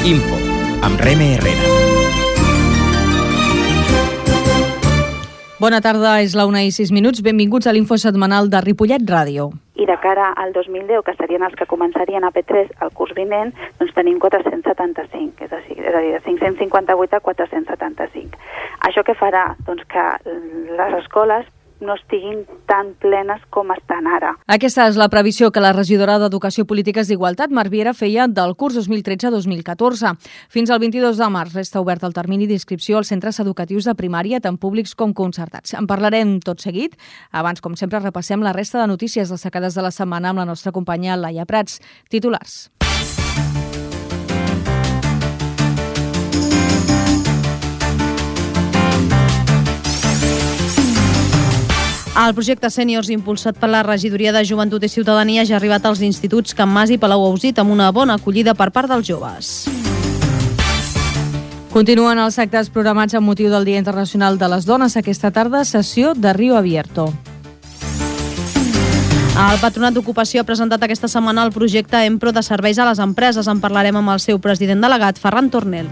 Info, amb Reme Herrera. Bona tarda, és la 1:06. Benvinguts a l'Info setmanal de Ripollet Ràdio. I de cara al 2010, que serien els que començarien a P3 el curs vinent, doncs tenim 475, és a dir, de 558 a 475. Això què farà? Doncs que les escoles no estiguin tan plenes com estan ara. Aquesta és la previsió que la regidora d'Educació, Polítiques d'Igualtat, Mar Viera, feia del curs 2013-2014. Fins al 22 de març resta obert el termini d'inscripció als centres educatius de primària, tant públics com concertats. En parlarem tot seguit. Abans, com sempre, repassem la resta de notícies destacades de la setmana amb la nostra companya Laia Prats. Titulars. El projecte Sèniors, impulsat per la Regidoria de Joventut i Ciutadania, ja ha arribat als instituts Can Mas i Palau-Ausit amb una bona acollida per part dels joves. Continuen els actes programats amb motiu del Dia Internacional de les Dones. Aquesta tarda, sessió de Río Abierto. El Patronat d'Ocupació ha presentat aquesta setmana el projecte Empro de serveis a les empreses. En parlarem amb el seu president delegat, Ferran Tornel.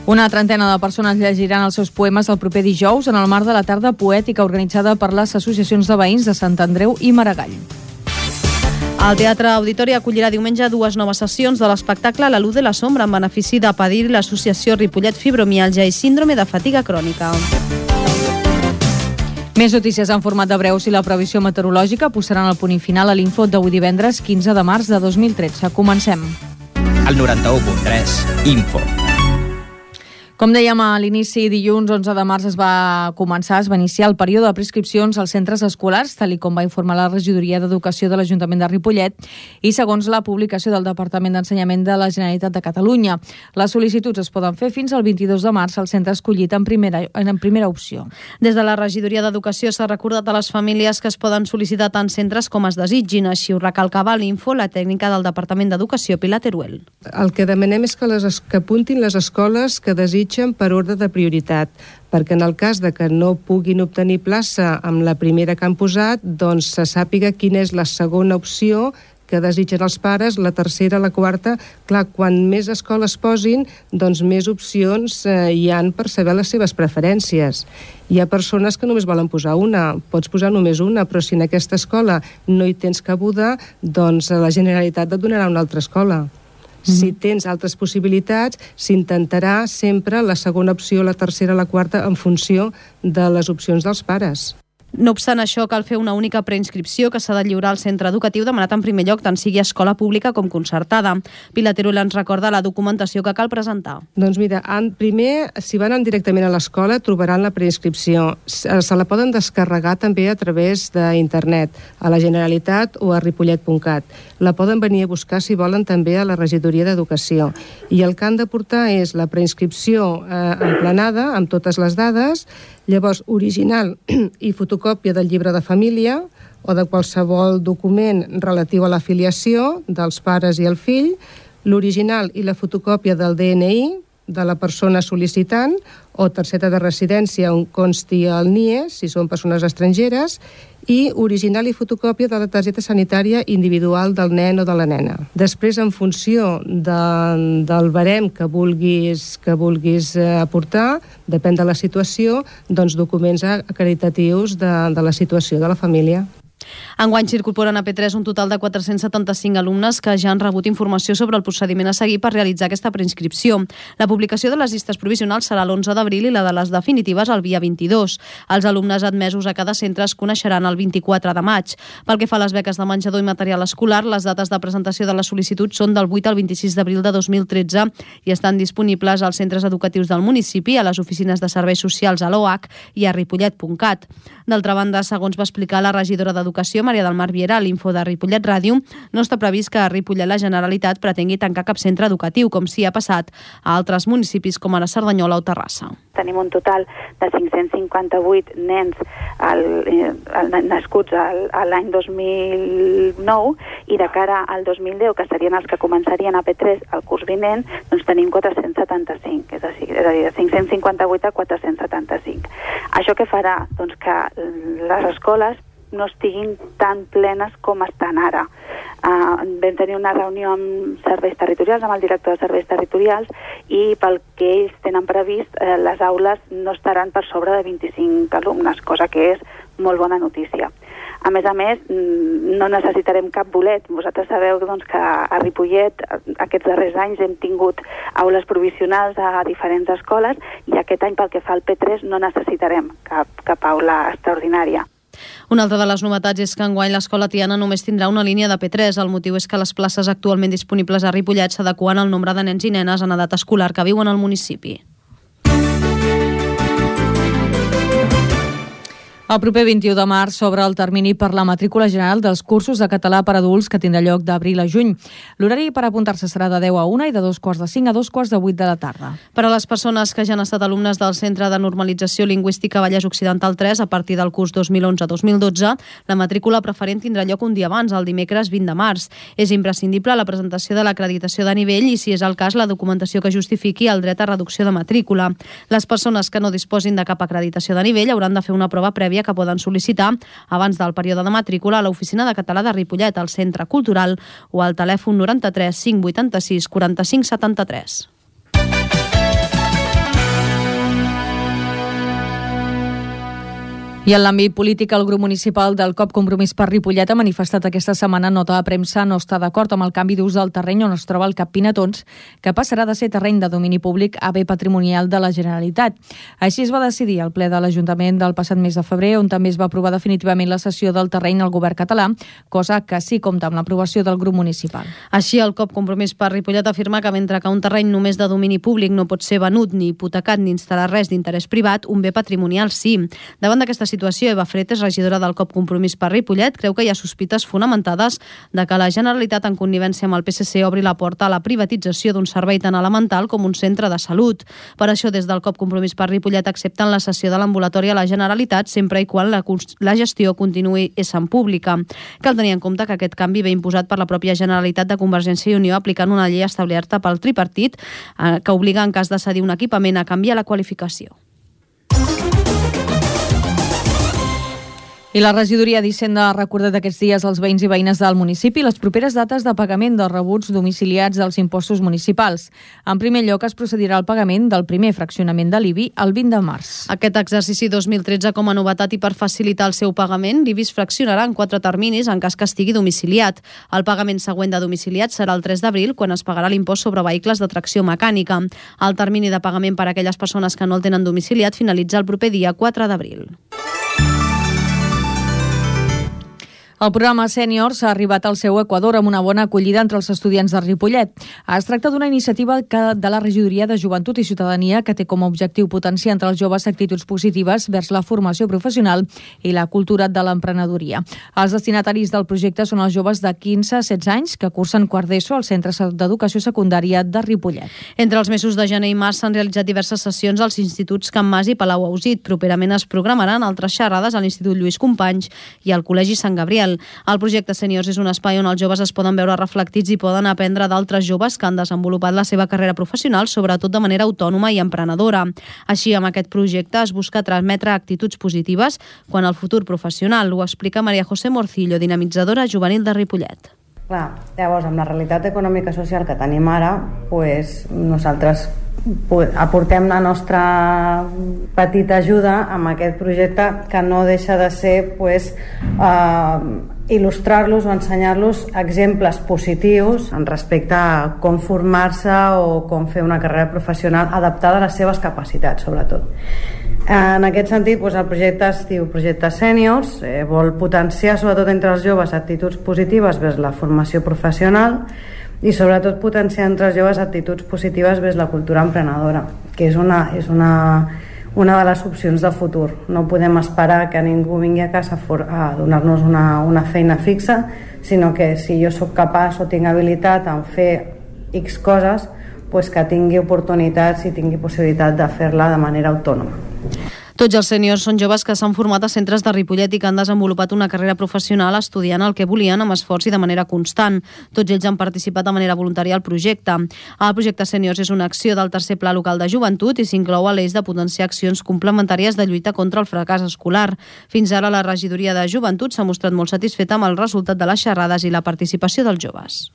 Una trentena de persones llegiran els seus poemes el proper dijous en el marc de la tarda poètica organitzada per les associacions de veïns de Sant Andreu i Maragall. El Teatre Auditori acollirà diumenge 2 noves sessions de l'espectacle La luz de la sombra en benefici de Padir i l'associació Ripollet Fibromialgia i Síndrome de Fatiga Crònica. Més notícies en format de breus i la previsió meteorològica posaran el punt i final a l'Info d'avui divendres 15 de març de 2013. Comencem. El 91.3, Info. Com dèiem a l'inici, dilluns 11 de març es va iniciar el període de prescripcions als centres escolars, tal com va informar la Regidoria d'Educació de l'Ajuntament de Ripollet i segons la publicació del Departament d'Ensenyament de la Generalitat de Catalunya. Les sol·licituds es poden fer fins al 22 de març al centre escollit en primera opció. Des de la Regidoria d'Educació s'ha recordat a les famílies que es poden sol·licitar tant centres com es desitgin, així ho recalcava a l'Info la tècnica del Departament d'Educació, Pilar Teruel. El que demanem és que apuntin les escoles que desitgen per ordre de prioritat, perquè en el cas de que no puguin obtenir plaça amb la primera que han posat, doncs se sàpiga quina és la segona opció que desitgen els pares, la tercera, la quarta. Clar, quan més escoles posin, doncs més opcions hi han per saber les seves preferències. Hi ha persones que només volen posar una, pots posar només una, però si en aquesta escola no hi tens cabuda, doncs la Generalitat et donarà una altra escola. Si tens altres possibilitats, s'intentarà sempre la segona opció, la tercera, la quarta, en funció de les opcions dels pares. No obstant això, cal fer una única preinscripció que s'ha de lliurar al centre educatiu demanat en primer lloc tant sigui escola pública com concertada. Pilar Teruel ens recorda la documentació que cal presentar. Doncs mira, primer, si van directament a l'escola, trobaran la preinscripció. Se la poden descarregar també a través d'internet, a la Generalitat o a ripollet.cat. La poden venir a buscar, si volen, també a la Regidoria d'Educació. I el que han de portar és la preinscripció emplenada, amb totes les dades, llavors original i fotocòpia del llibre de família o de qualsevol document relatiu a l'afiliació dels pares i el fill, l'original i la fotocòpia del DNI de la persona sol·licitant o targeta de residència on consti el NIE, si són persones estrangeres, i original i fotocòpia de la targeta sanitària individual del nen o de la nena. Després, en funció del barem que vulguis aportar, depèn de la situació, doncs documents acreditatius de la situació de la família. Enguany s'incorporen a P3 un total de 475 alumnes que ja han rebut informació sobre el procediment a seguir per realitzar aquesta preinscripció. La publicació de les llistes provisionals serà l'11 d'abril i la de les definitives el dia 22. Els alumnes admesos a cada centre es coneixeran el 24 de maig. Pel que fa a les beques de menjador i material escolar, les dates de presentació de la sol·licitud són del 8 al 26 d'abril de 2013 i estan disponibles als centres educatius del municipi, a les oficines de serveis socials a l'OH i a ripollet.cat. D'altra banda, segons va explicar la regidora d'Educació, Maria del Mar Viera, a l'Info de Ripollet Ràdio, no està previst que a Ripollet la Generalitat pretengui tancar cap centre educatiu, com sí ha passat a altres municipis com ara Cerdanyola o Terrassa. Tenim un total de 558 nens nascuts l'any 2009 i de cara al 2010, que serien els que començarien a P3 el curs vinent, doncs tenim 475, és a dir, de 558 a 475. Això què farà? Doncs que les escoles no estiguin tan plenes com estan ara. Vam tenir una reunió amb serveis territorials, amb el director de serveis territorials, i pel que ells tenen previst, les aules no estaran per sobre de 25 alumnes, cosa que és molt bona notícia. A més, no necessitarem cap bolet. Vosaltres sabeu doncs, que a Ripollet aquests darrers anys hem tingut aules provisionals a diferents escoles i aquest any, pel que fa al P3, no necessitarem cap aula extraordinària. Una altra de les novetats és que enguany l'escola Tiana només tindrà una línia de P3. El motiu és que les places actualment disponibles a Ripollet s'adeqüen al nombre de nens i nenes en edat escolar que viuen al municipi. El proper 21 de març s'obre el termini per la matrícula general dels cursos de català per adults que tindrà lloc d'abril a juny. L'horari per apuntar-se serà de 10 a 1 i de 2:45 a 2:08 de la tarda. Per a les persones que ja han estat alumnes del Centre de Normalització Lingüística Vallès Occidental 3 a partir del curs 2011-2012, la matrícula preferent tindrà lloc un dia abans, el dimecres 20 de març. És imprescindible la presentació de l'acreditació de nivell i, si és el cas, la documentació que justifiqui el dret a reducció de matrícula. Les persones que no disposin de cap acreditació de nivell hauran de fer una prova prèvia que poden sol·licitar abans del període de matrícula a l'Oficina de Català de Ripollet, al Centre Cultural o al telèfon 93 586 45 73. I en l'àmbit polític, el grup municipal del COP Compromís per Ripollet ha manifestat aquesta setmana nota de premsa no està d'acord amb el canvi d'ús del terreny on es troba el Cap Pinatons, que passarà de ser terreny de domini públic a bé patrimonial de la Generalitat. Així es va decidir al ple de l'Ajuntament del passat mes de febrer, on també es va aprovar definitivament la cessió del terreny al govern català, cosa que sí compta amb l'aprovació del grup municipal. Així, el COP Compromís per Ripollet afirma que mentre que un terreny només de domini públic no pot ser venut ni hipotecat ni instal·lar res d'interès privat, un bé patrimonial sí. Davant d'aquesta situació, Eva Fretes, regidora del COP Compromís per Ripollet, creu que hi ha sospites fonamentades de que la Generalitat, en connivència amb el PSC, obri la porta a la privatització d'un servei tan elemental com un centre de salut. Per això, des del COP Compromís per Ripollet accepten la cessió de l'ambulatori a la Generalitat sempre i quan la gestió continuï essent pública. Cal tenir en compte que aquest canvi ve imposat per la pròpia Generalitat de Convergència i Unió aplicant una llei establerta pel tripartit que obliga, en cas de cedir un equipament, a canviar la qualificació. I la regidoria d'Hisenda ha recordat aquests dies als veïns i veïnes del municipi les properes dates de pagament dels rebuts domiciliats dels impostos municipals. En primer lloc, es procedirà al pagament del primer fraccionament de l'IBI el 20 de març. Aquest exercici 2013, com a novetat i per facilitar el seu pagament, l'IBI es fraccionarà en 4 terminis en cas que estigui domiciliat. El pagament següent de domiciliat serà el 3 d'abril, quan es pagarà l'impost sobre vehicles de tracció mecànica. El termini de pagament per a aquelles persones que no el tenen domiciliat finalitza el proper dia 4 d'abril. El programa Sèniors ha arribat al seu equador amb una bona acollida entre els estudiants de Ripollet. Es tracta d'una iniciativa de la Regidoria de Joventut i Ciutadania que té com a objectiu potenciar entre els joves actituds positives vers la formació professional i la cultura de l'emprenedoria. Els destinataris del projecte són els joves de 15 a 16 anys que cursen quart d'ESO al Centre d'Educació Secundària de Ripollet. Entre els mesos de gener i març s'han realitzat diverses sessions als instituts Can Mas i Palau-Ausit. Properament es programaran altres xerrades a l'Institut Lluís Companys i al Col·legi Sant Gabriel. El projecte Sèniors és un espai on els joves es poden veure reflectits i poden aprendre d'altres joves que han desenvolupat la seva carrera professional, sobretot de manera autònoma i emprenedora. Així, amb aquest projecte es busca transmetre actituds positives quan al futur professional. Ho explica Maria José Morcillo, dinamitzadora juvenil de Ripollet. Clar, llavors, amb la realitat econòmica i social que tenim ara, nosaltres aportem la nostra petita ajuda amb aquest projecte que no deixa de ser il·lustrar-los o ensenyar-los exemples positius en respecte a com formar-se o com fer una carrera professional adaptada a les seves capacitats, sobretot. En aquest sentit, el projecte es diu Projecte Sèniors, vol potenciar sobretot entre els joves actituds positives vers la formació professional i sobretot potenciar entre els joves actituds positives vers la cultura emprenedora, que és una de les opcions de futur. No podem esperar que ningú vingui a casa a donar-nos una feina fixa, sinó que si jo sóc capaç o tinc habilitat en fer X coses, que tingui oportunitats i tingui possibilitat de fer-la de manera autònoma. Tots els sèniors són joves que s'han format a centres de Ripollet i que han desenvolupat una carrera professional estudiant el que volien amb esforç i de manera constant. Tots ells han participat de manera voluntària al projecte. El projecte Sèniors és una acció del tercer pla local de joventut i s'inclou a l'eix de potenciar accions complementàries de lluita contra el fracàs escolar. Fins ara la regidoria de joventut s'ha mostrat molt satisfeta amb el resultat de les xerrades i la participació dels joves.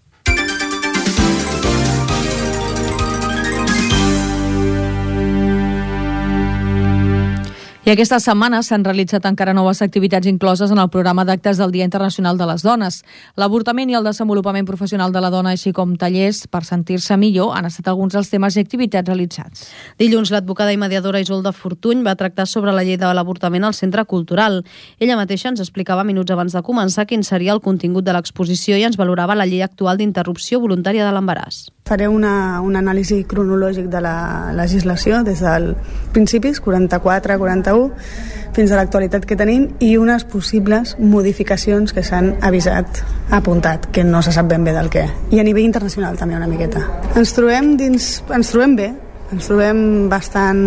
I aquesta setmana s'han realitzat encara noves activitats incloses en el programa d'actes del Dia Internacional de les Dones. L'avortament i el desenvolupament professional de la dona, així com tallers per sentir-se millor, han estat alguns dels temes i activitats realitzats. Dilluns, l'advocada i mediadora Isolda Fortuny va tractar sobre la llei de l'avortament al Centre Cultural. Ella mateixa ens explicava minuts abans de començar quin seria el contingut de l'exposició i ens valorava la llei actual d'interrupció voluntària de l'embaràs. Faré un anàlisi cronològic de la legislació des del principis, 44-41, fins a l'actualitat que tenim i unes possibles modificacions que s'han apuntat, que no se sap ben bé del què. I a nivell internacional també una miqueta. Ens trobem bé, ens trobem bastant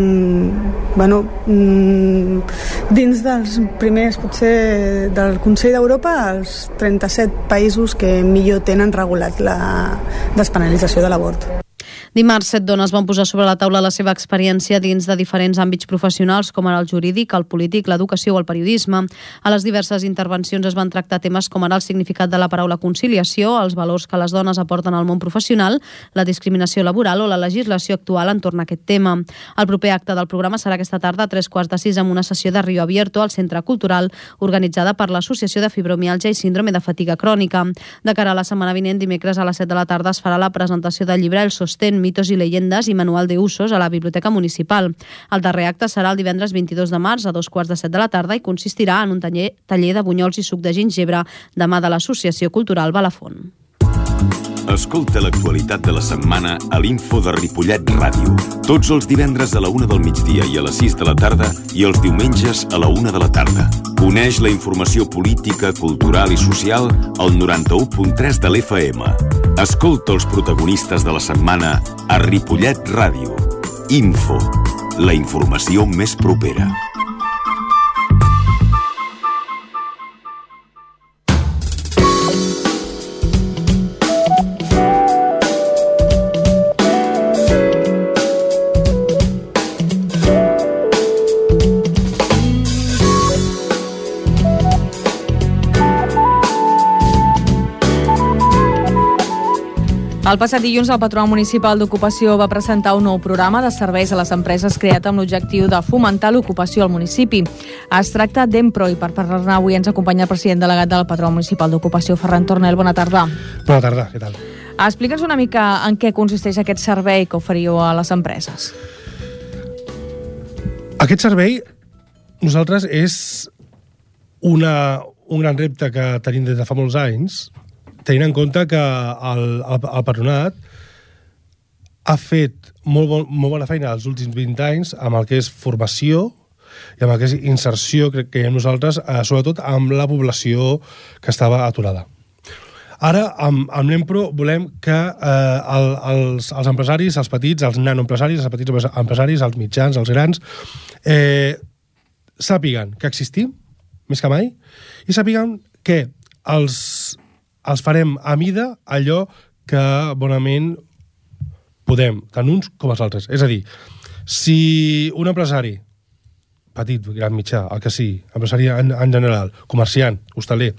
dins dels primers, potser del Consell d'Europa, els 37 països que millor tenen regulat la despenalització de l'avort. Dimarts, 7 dones van posar sobre la taula la seva experiència dins de diferents àmbits professionals, com ara el jurídic, el polític, l'educació o el periodisme. A les diverses intervencions es van tractar temes com ara el significat de la paraula conciliació, els valors que les dones aporten al món professional, la discriminació laboral o la legislació actual entorn a aquest tema. El proper acte del programa serà aquesta tarda a 5:45 amb una sessió de Rio Abierto al Centre Cultural, organitzada per l'Associació de Fibromiàlgia i Síndrome de Fatiga Crònica. De cara a la setmana vinent, dimecres a les 7 de la tarda es farà la presentació del llibre El Sostén, mitos y leyendas i manual de usos a la Biblioteca Municipal. El darrer acte serà el divendres 22 de març a 2:15 de la tarda i consistirà en un taller de bunyols i suc de gingebre de mà de l'Associació Cultural Balafont. Escolta l'actualitat de la setmana a l'Info de Ripollet Ràdio. Tots els divendres a la 1 del migdia i a les 6 de la tarda i els diumenges a la 1 de la tarda. Coneix la informació política, cultural i social al 91.3 de l'FM. Escolta els protagonistes de la setmana a Ripollet Ràdio. Info, la informació més propera. El passat dilluns, el Patronat Municipal d'Ocupació va presentar un nou programa de serveis a les empreses creat amb l'objectiu de fomentar l'ocupació al municipi. Es tracta d'Empro i per parlar-ne avui ens acompanya el president delegat del Patronat Municipal d'Ocupació, Ferran Tornel. Bona tarda. Bona tarda, què tal? Explica'ns una mica en què consisteix aquest servei que oferiu a les empreses. Aquest servei, nosaltres, és un gran repte que tenim des de fa molts anys, tenint en compte que el Patronat ha fet molt bona feina els últims 20 anys amb el que és formació i amb el que és inserció, crec que nosaltres, sobretot amb la població que estava aturada. Ara, amb l'Empro, volem que els empresaris, els petits, els nanoempresaris, els petits empresaris, els mitjans, els grans, sàpiguen que existim, més que mai, i sàpiguen que els farem a mida allò que bonament podem, tant uns com els altres. És a dir, si un empresari, petit, gran, mitjà, el que sigui, empresari en general, comerciant, hostaler,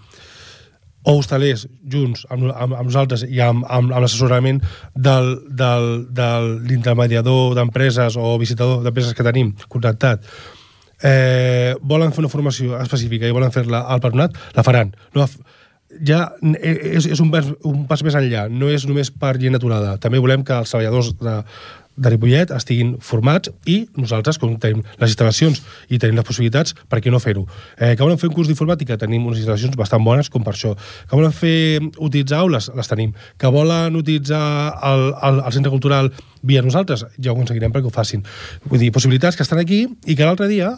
o hostalers junts amb nosaltres i amb l'assessorament de l'intermediador d'empreses o visitador d'empreses que tenim contractat, volen fer una formació específica i volen fer-la al Patronat, la faran. Ja és un pas més enllà, no és només per llei naturada. També volem que els treballadors de Ripollet estiguin formats i nosaltres, com tenim les instal·lacions i tenim les possibilitats, per què no fer-ho? Que volen fer un curs d'informàtica? Tenim unes instal·lacions bastant bones com per això. Que volen utilitzar aules? Les tenim. Que volen utilitzar el centre cultural via nosaltres? Ja ho aconseguirem perquè ho facin. Vull dir, possibilitats que estan aquí i que l'altre dia,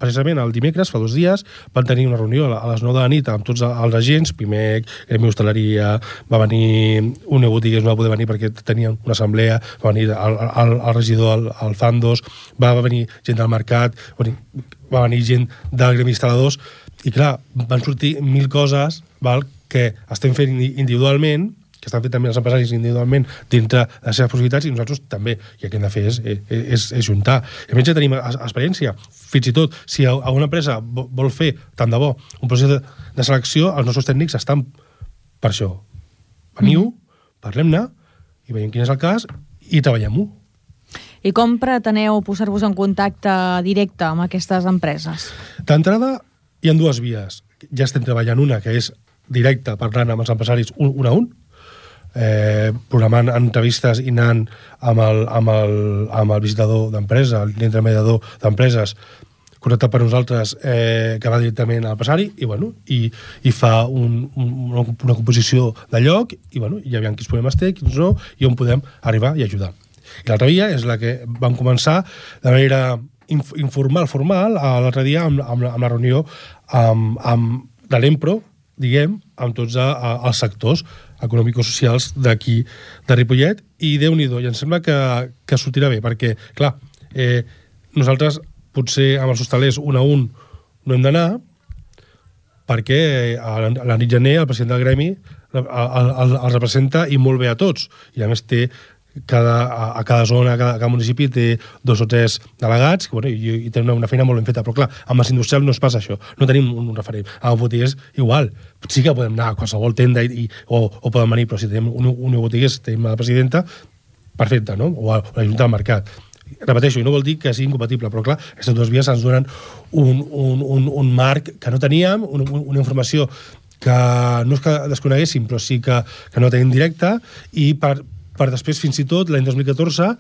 precisament el dimecres, fa 2 dies, van tenir una reunió a les 9 de la nit amb tots els agents, Pimec, Gremi Hostaleria, va venir un botiguer, no va poder venir perquè tenien una assemblea, va venir el regidor al Fandos, va venir gent del mercat, va venir gent del gremi instal·ladors, i clar, van sortir 1.000 coses, val, que estem fent individualment, que estan fent també els empresaris individualment dintre de les seves possibilitats, i nosaltres també. I el que hem de fer és juntar. I a més ja tenim experiència. Fins i tot, si alguna empresa vol fer, tant de bo, un procés de selecció, els nostres tècnics estan per això. Veniu, parlem-ne, i veiem quin és el cas, i treballem-ho. I com preteneu posar-vos en contacte directe amb aquestes empreses? D'entrada, hi ha dues vies. Ja estem treballant una, que és directa, parlant amb els empresaris un a un, programant entrevistes i anant amb el visitador d'empresa, l'intermediador d'empreses, connectat per nosaltres, que va directament a l'empresari, i fa una composició de lloc, i ja veiem quins problemes té, quins no, i on podem arribar i ajudar. I l'altra via és la que vam començar de manera informal, formal, l'altre dia amb la reunió de l'Empro, diguem, amb tots els sectors econòmico-socials d'aquí, de Ripollet, i Déu-n'hi-do, i em sembla que sortirà bé, perquè, clar, nosaltres potser amb els hostalers un a un no hem d'anar, perquè a la nit gener el president del gremi els representa i molt bé a tots, i a més té a cada zona, a cada municipi té 2 o 3 delegats i té una feina molt ben feta, però clar, amb els industrials no es passa això, no tenim un referent. Amb botiguers igual, sí que podem anar a qualsevol tenda o poden venir, però si tenim un botiguers, tenim la presidenta, perfecte, no? O la junta del mercat. Repeteixo, i no vol dir que sigui incompatible, però clar, aquestes dues vies ens donen un marc que no teníem, una informació que no és que desconeguéssim, però sí que no tenim directa, i per després, fins i tot, l'any 2014,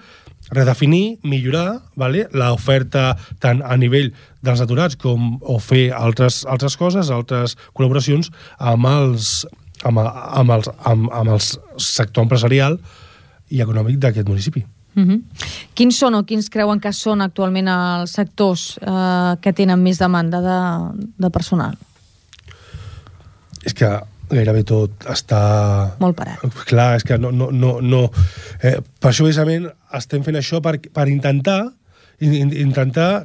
redefinir, millorar l'oferta tant a nivell dels aturats o fer altres coses, altres col·laboracions amb el sector empresarial i econòmic d'aquest municipi. Quins són o quins creuen que són actualment els sectors que tenen més demanda de personal? És que gairebé tot està molt parat. Clar, és que no. Per això, precisament, estem fent això per intentar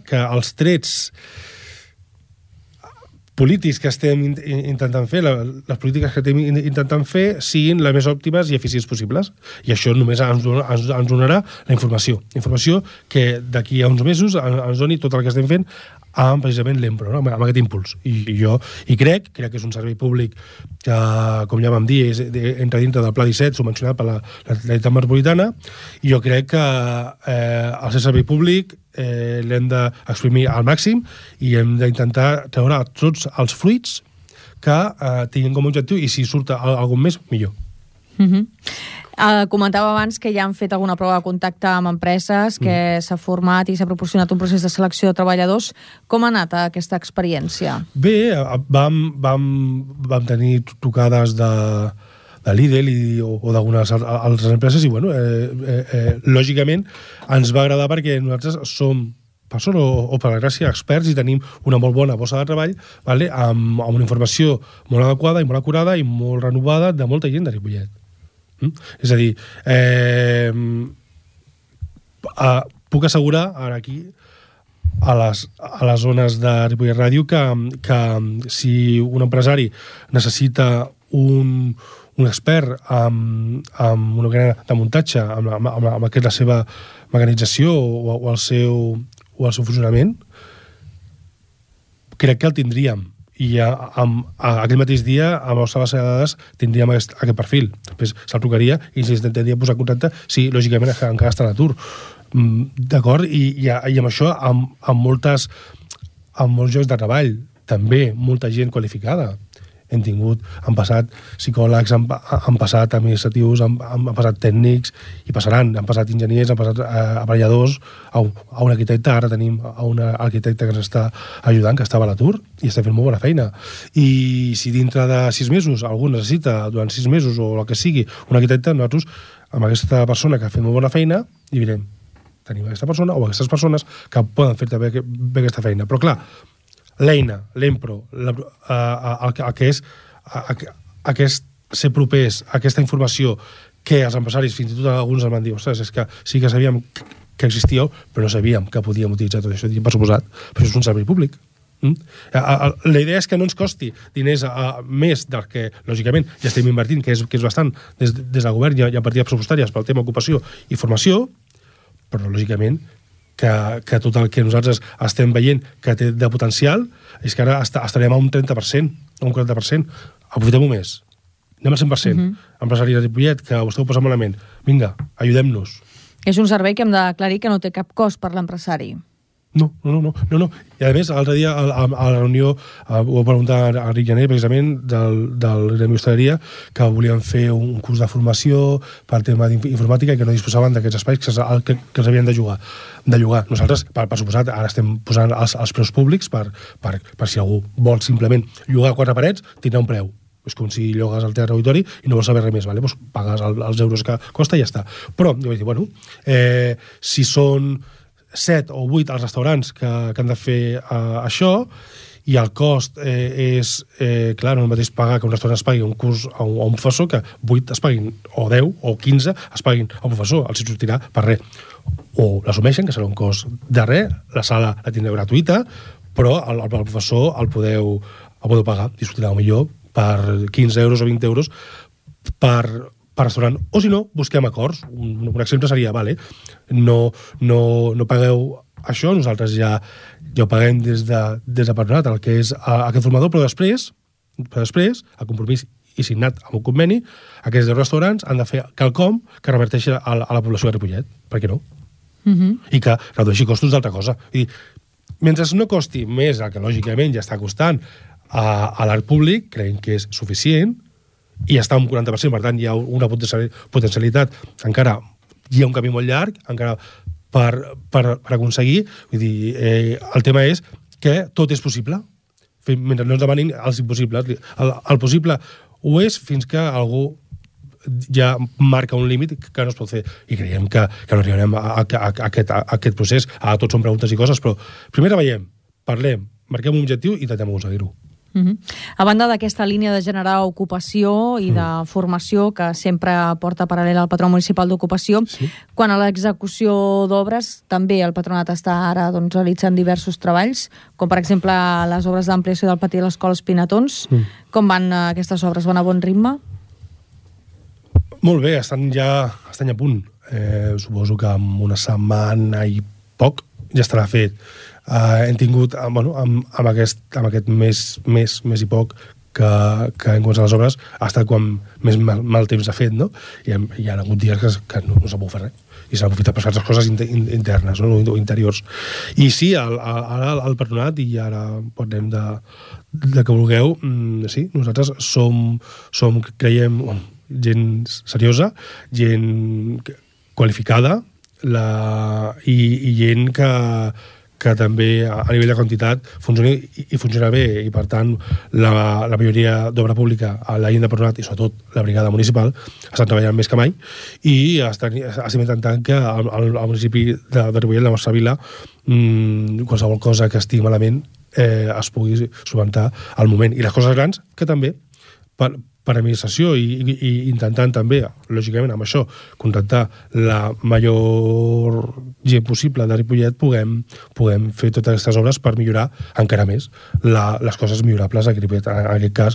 que els trets polítics que estem intentant fer, les polítiques que estem intentant fer, siguin les més òptimes i eficients possibles. I això només ens donarà la informació. Informació que d'aquí a uns mesos ens doni tot el que estem fent amb precisament l'Empro, no? Amb aquest impuls. I crec que és un servei públic que, com ja vam dir, entra dintre del Pla 17, subvencionat per la Generalitat Metropolitana, i jo crec que el servei públic l'hem d'exprimir al màxim i hem d'intentar treure tots els fruits que tinguin com a objectiu, i si surt algun més, millor. Comentava abans que ja han fet alguna prova de contacte amb empreses, que s'ha format i s'ha proporcionat un procés de selecció de treballadors. Com ha anat aquesta experiència? Bé, vam tenir trucades de Lidl o d'algunes altres empreses, i lògicament ens va agradar perquè nosaltres som, per sort o per gràcia, experts, i tenim una molt bona bossa de treball, amb una informació molt adequada i molt acurada i molt renovada de molta gent de Ripollet. És a dir, puc assegurar ara aquí a les zones de Ripollet Ràdio que si un empresari necessita un expert amb una gran de muntatge, amb la seva mecanització o el seu funcionament, crec que el tindríem. I aquell mateix dia, amb la nostra base de dades, tindríem aquest perfil. Després se'l trucaria i ens intentaria posar en contacte si, lògicament, encara està en atur. D'acord? I amb això, amb molts llocs de treball, també molta gent qualificada. Han passat psicòlegs, han passat administratius, han passat tècnics, i passaran, han passat enginyers, han passat aparelladors, a un arquitecte. Ara tenim un arquitecte que ens està ajudant, que estava a l'atur, i està fent molt bona feina. I si dintre de 6 mesos algú necessita, durant 6 mesos o el que sigui, un arquitecte, nosaltres, amb aquesta persona que ha fet molt bona feina, i direm, tenim aquesta persona o aquestes persones que poden fer bé aquesta feina. Però clar, l'eina, l'Empro, el que és ser propers a aquesta informació que els empresaris, fins i tot alguns em van dir, ostres, és que sí que sabíem que existíeu, però no sabíem que podíem utilitzar tot això. I per suposat, però això és un servei públic. La idea és que no ens costi diners més del que, lògicament, ja estem invertint, que és bastant des del govern, hi ha partides pressupostàries pel tema ocupació i formació, però, lògicament, que tot el que nosaltres estem veient que té de potencial és que ara estarem a un 30%, a un 40%. Aprofitem-ho més. Anem al 100%. Empresari de Ripollet, que vostè ho posa malament. Vinga, ajudem-nos. És un servei que hem d'aclarir que no té cap cost per l'empresari. No. I a més, l'altre dia a la reunió ho va preguntar a Ric Janer, precisament, del Gremi Hostaleria, que volien fer un curs de formació per tema d'informàtica i que no disposaven d'aquests espais que els havien de llogar. Nosaltres, per suposat, ara estem posant els preus públics per si algú vol simplement llogar 4 parets, tindrà un preu. És com si llogues al Teatre Auditori i no vols saber res més, vale? Doncs pagues els euros que costa i ja està. Però, jo vaig dir, bueno, si són 7 o 8 als restaurants que han de fer això, i el cost és, clar, no és el mateix pagar que un restaurant es pagui un curs a un professor, que 8 es paguin, o 10 o 15 es paguin a un professor, els sortirà per res. O l'assumeixen, que serà un cost de res, la sala la tindreu gratuïta, però el professor el podeu pagar, i sortirà millor per 15 euros o 20 euros per restaurant. O si no, busquem acords. Un exemple seria, vale, no pagueu això, nosaltres ja ho paguem des de patronat, el que és aquest formador, però després, el compromís i signat amb un conveni, aquests 10 restaurants han de fer quelcom que reverteixi a la població de Ripollet. Per què no? I que redueixi costos d'altra cosa. I mentre no costi més el que lògicament ja està costant a l'art públic, creiem que és suficient, i està un 40%, per tant hi ha una potencialitat, encara hi ha un camí molt llarg, encara per aconseguir. Vull dir, el tema és que tot és possible, mentre no ens demanin els impossibles. El possible ho és fins que algú ja marca un límit que no es pot fer, i creiem que no arribarem a aquest procés. Tots són preguntes i coses, però primer veiem, parlem, marquem un objectiu i intentem aconseguir-ho. A banda d'aquesta línia de generar ocupació i de formació que sempre porta paral·lel al Patronat Municipal d'Ocupació, quan a l'execució d'obres també el Patronat està ara realitzant diversos treballs, com per exemple les obres d'ampliació del pati de l'Escola Espinatons. Com van aquestes obres? Van a bon ritme? Molt bé, estan ja a punt. Suposo que en una setmana i poc ja estarà fet. Hem tingut, amb aquest mes i poc que en quant a les obres ha estat quan més mal temps ha fet, no? I hi ha hagut dies que no s'ha pogut fer res i s'ha aprofitat per fer altres coses internes, no? O interiors. I sí, ara el Patronat, i ara parlem de que vulgueu, sí, nosaltres som creiem, gent seriosa, gent qualificada i gent que també a nivell de quantitat funciona bé, i per tant la majoria d'obra pública a la gent de Patronat i sobretot la brigada municipal estan treballant més que mai, i estem intentant que al municipi de Ripollet, la nostra vila, qualsevol cosa que estigui malament es pugui solventar al moment, i les coses grans que també per administració, i intentant també, lògicament, amb això, contactar la major gent possible de Ripollet, puguem fer totes aquestes obres per millorar encara més les coses millorables a Ripollet. En aquest cas,